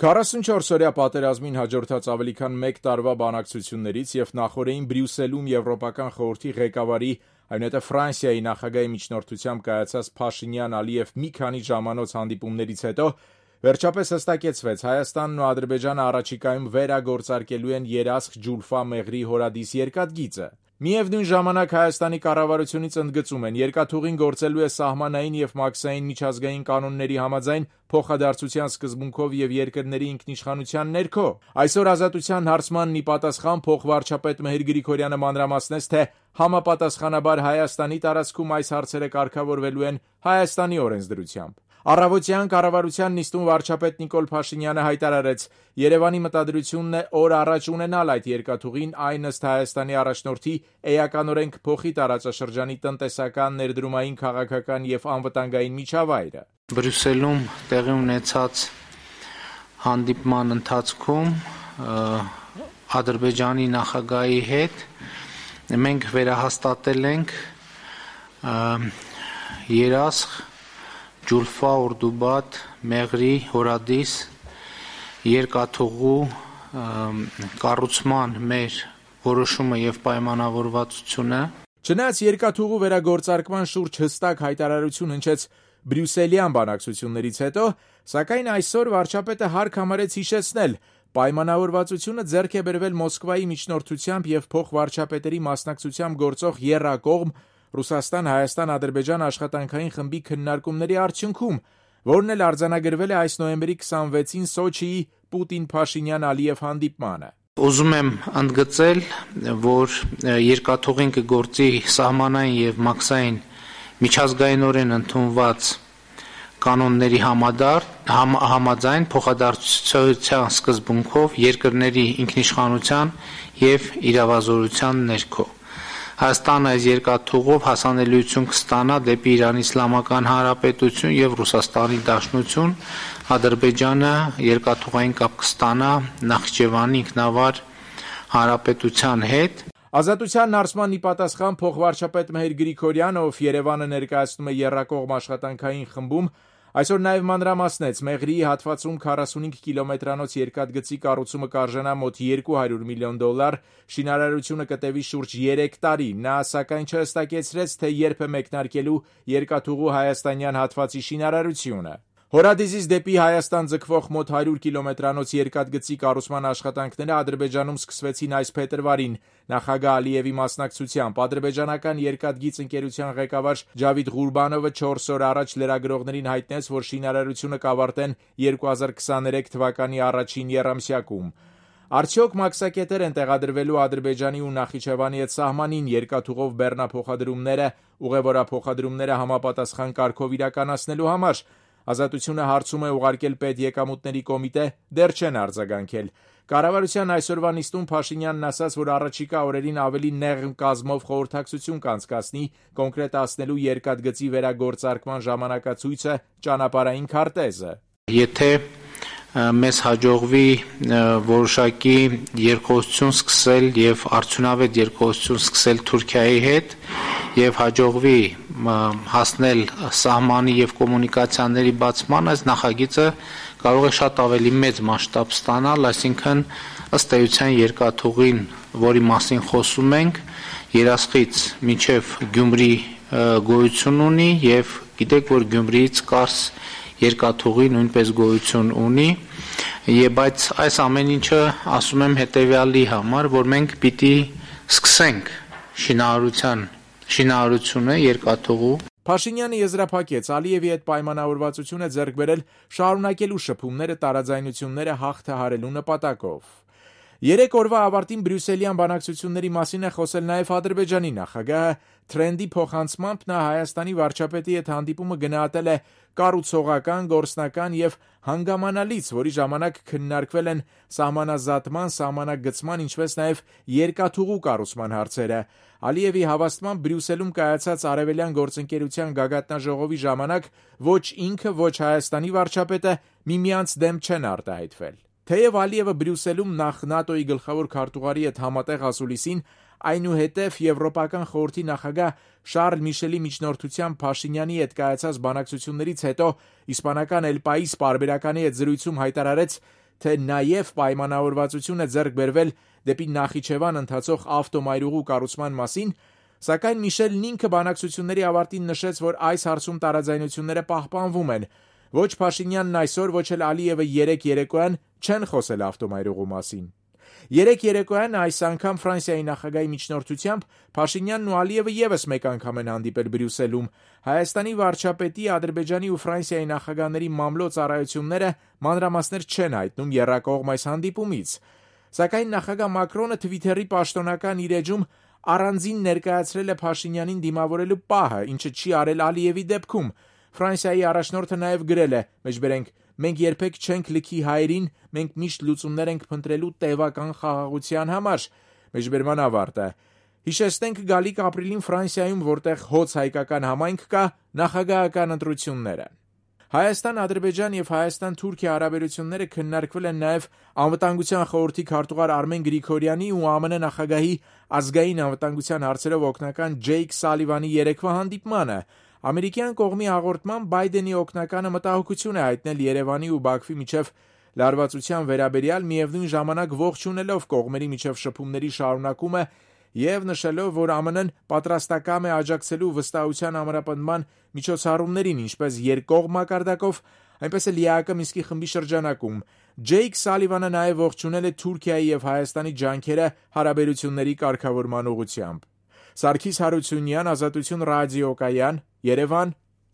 44-օրյա պատերազմին հաջորդած ավելի քան 1 տարվա բանակցություններից և նախօրեին Բրյուսելում Եվրոպական խորհրդի ղեկավարի, այնուհետև Ֆրանսիայի նախագահի միջնորդությամբ կայացած Փաշինյան-Ալիև մի քանի ժամանոց հանդիպումներից հետո վերջապես հստակեցվեց Հայաստանն ու Ադրբեջանը առաջիկայում վերագործարկելու են Երասխ Ջուլֆա Մեղրի հորադիս երկաթգիծը։ Միևնույն ժամանակ Հայաստանի կառավարությունից ընդգծում են երկաթուղին գործելու է սահմանային և մաքսային միջազգային կանոնների համաձայն փոխադարձության սկզբունքով և երկրների ինքնիշխանության ներքո։ Այսօր Ազատության հարցմանն ի պատասխան փոխվարչապետ Մհեր Գրիգորյանը մանրամասնեց, թե համապատասխանաբար Հայաստանի տարածքում այս հարցերը կարգավորվելու են Հայաստանի օրենսդրությամբ։ Առավոտյան կառավարության նիստում վարչապետ Նիկոլ Փաշինյանը հայտարարեց. Երևանի մտադրությունն է օր առաջ ունենալ այդ երկաթուղին, այն ըստ Հայաստանի առաջնորդի էականորեն կփոխի տարածաշրջանի տնտեսական, ներդրումային, քաղաքական և անվտանգային միջավայրը։ Բրյուսելում տեղի ունեցած հանդիպման ընթացքում Ադրբեջանի նախագահի հետ մենք վերահաստատել ենք Երասխ Ջուլֆա Օրդուբադ Մեղրի հորադիս երկաթուղու կառուցման մեր որոշումը և պայմանավորվածությունը։ Չնայած երկաթուղու վերագործարկման շուրջ հստակ հայտարարություն հնչեց Բրյուսելյան բանակցություններից հետո, սակայն այսօր վարչապետը հարկ համարեց հիշեցնել, պայմանավորվածությունը ձեռք է բերվել Մոսկվայի միջնորդությամբ և փոխվարչապետերի մասնակցությամբ գործող եռակողմ Ռուսաստան-Հայաստան-Ադրբեջան աշխատանքային խմբի քննարկումների արդյունքում, որն էլ արձանագրվել է այս նոյեմբերի 26-ին Սոչիի Պուտին-Փաշինյան-Ալիև հանդիպմանը։ Ուզում եմ ընդգծել, որ երկաթուղին կգործի սահմանային և մաքսային միջազգայինորեն ընդունված կանոնների համաձայն փոխադարձության սկզբունքով երկրների ինքնիշխանության և իրավազորության ներքո։ Հայաստանը այս երկաթուղով հասանելիություն կստանա դեպի Իրանի Իսլամական Հանրապետություն և Ռուսաստանի Դաշնություն, Ադրբեջանը երկաթուղային կապ կստանա Նախիջևանի ինքնավար հանրապետության հետ։ Ազատության հարցման ի պատասխան փոխվարչապետ Մհեր Գրիգորյանը, ով Երևանը ներկայացնում է եռակողմ աշխատանքային խմբում, այսօր նաև մանրամասնեց Մեղրիի հատվածում 45 կիլոմետրանոց երկաթգծի կառուցումը կարժենա մոտ $200 միլիոն, շինարարությունը կտևի շուրջ 3 տարի։ Նա սակայն չհստակեցրեց, թե երբ է մեկնարկելու երկաթուղու հայաստանյան հատվածի շինարարությունը։ Հորադիսից դեպի Հայաստան ձգվող մոտ 100 կիլոմետրանոց երկաթգծի կառուցման աշխատանքները Ադրբեջանում սկսվեցին այս փետրվարին նախագահ Ալիևի մասնակցությամբ։ Ադրբեջանական երկաթգիծ ընկերության ղեկավար Ջավիդ Ղուրբանովը 4 օր առաջ լրագրողներին հայտնեց, որ շինարարությունը կավարտեն 2023 թվականի առաջին եռամսյակում։ Արդյոք մաքսակետեր են տեղադրվելու Ադրբեջանի ու Նախիջևանի հետ սահմանին երկաթուղով բեռնափոխադրումները, ուղևորափոխադրումները համապատասխան կարգով իրականացնելու համար։ Ազատությունը հարցում է ուղարկել պետեկամուտների կոմիտե, դեռ չեն արձագանքել։ Կառավարության այսօրվա նիստում Փաշինյանն ասաց, որ առաջիկա օրերին ավելի նեղ կազմով խորհրդակցություն կանցկացնի կոնկրետացնելու երկաթգծի վերագործարկման ժամանակացույցը, ճանապարհային քարտեզը։ Եթե մեզ հաջողվի որոշակի երկխոսություն սկսել և արդյունավետ երկխոսություն սկսել Թուրքիայի հետ և հաջողվի հասնել սահմանի և կոմունիկացիաների բացման, այս նախագիծը կարող է շատ ավելի մեծ մասշտաբ ստանալ, այսինքն ըստ էության երկաթուղին, որի մասին խոսում ենք, Երասխից մինչև Գյումրի գոյություն ունի և գիտեք, որ Գյումրիից Կարս երկաթուղի նույնպես գոյություն ունի, բայց այս ամեն ինչը ասում եմ հետևյալի համար, որ մենք պիտի սկսենք շինարարությունը երկաթուղու։ Փաշինյանը եզրափակեց Ալիևի հետ պայմանավորվածություն է ձեռք բերել շարունակելու շփումները տարաձայնությունները հաղթահարելու նպատակով։ 3 օրվա ավարտին Բրյուսելյան բանակցությունների մասին է խոսել նաև Ադրբեջանի նախագահը։ Թրենդի փոխանցմամբ նա Հայաստանի վարչապետի հետ հանդիպումը գնահատել է կառուցողական, գործնական և հանգամանալից, որի ժամանակ քննարկվել են սահմանազատման, սահմանագծման, ինչպես նաև երկաթուղու կառուցման հարցերը։ Ալիևի հավաստմամբ Բրյուսելում կայացած Արևելյան գործընկերության գագաթնաժողովի ժամանակ ոչ ինքը, ոչ Հայաստանի վարչապետը միմյանց դեմ չեն արտահայտվել։ Թեև Ալիևը Բրյուսելում նախ ՆԱՏՕ-ի գլխավոր քարտուղարի հետ համատեղ ասուլիսին, այնուհետև Եվրոպական խորհրդի նախագահ Շարլ Միշելի միջնորդությամբ Փաշինյանի հետ կայացած բանակցություններից հետո իսպանական El País պարբերականի հետ զրույցում հայտարարեց, թե նաև պայմանավորվածություն է ձեռք բերվել դեպի Նախիջևան ընթացող ավտոմայրուղու կառուցման մասին, սակայն Միշելն ինքը բանակցությունների ավարտին նշեց, որ այս հարցում տարաձայնությունները պահպանվում են։ Ոչ Փաշինյանն այսօր, ոչ էլ Ալիևը երեկ երեկոյան չեն խոսել ավտոմայրուղու մասին։ Երեկ երեկոյան այս անգամ Ֆրանսիայի նախագահի միջնորդությամբ Փաշինյանն ու Ալիևը եւս մեկ անգամ են հանդիպել Բրյուսելում։ Հայաստանի վարչապետի, Ադրբեջանի ու Ֆրանսիայի նախագահների մամլո ծառայությունները մանրամասներ չեն հայտնում եռակողմ այս հանդիպումից։ Սակայն նախագահ Մակրոնը Թվիթերի պաշտոնական իր էջում առանձին ներկայացրել է Փաշինյանին դիմավորելու պահը, ինչը չի արել Ալիևի դեպքում։ Ֆրանսիայի առաջնորդը նաև գրել է. «Մենք երբեք չենք լքի հայերին, մենք միշտ լուծումներ ենք փնտրելու տևական խաղաղության համար»։ Մեջբերման ավարտը։ Հիշեցնենք գալիք ապրիլին Ֆրանսիայում, որտեղ հոծ հայկական համայնք կա, նախագահական ընտրությունները։ Հայաստան-Ադրբեջան եւ Հայաստան-Թուրքիա հարաբերությունները քննարկվել են նաև Անվտանգության խորհրդի քարտուղար Արմեն Գրիգորյանի ու ԱՄՆ նախագահի ազգային անվտանգության հարցերով օգնական Ջեյք Սալիվանի երեկվա հանդիպմանը։ Ամերիկյան կողմի հաղորդմամբ Բայդենի օգնականը մտահոգություն է հայտնել Երևանի ու Բաքվի միջև լարվածության վերաբերյալ, միևնույն ժամանակ ողջունելով կողմերի միջև շփումների շարունակումը եւ նշելով, որ ԱՄՆ-ն պատրաստակամ է աջակցելու վստահության ամրապնդման միջոցառումներին, ինչպես երկկողմ մակարդակով, այնպես էլ ԵԱԿ Մինսկի խմբի շրջանակում։ Ջեյք Սալիվանը նաև ողջունել է Թուրքիայի եւ Հայաստանի ջանքերը հարաբերությունների կարգավորման ուղղությամբ։ Սարգիս Հարությունյան, Ազատություն ռադիոկայան, Երևան,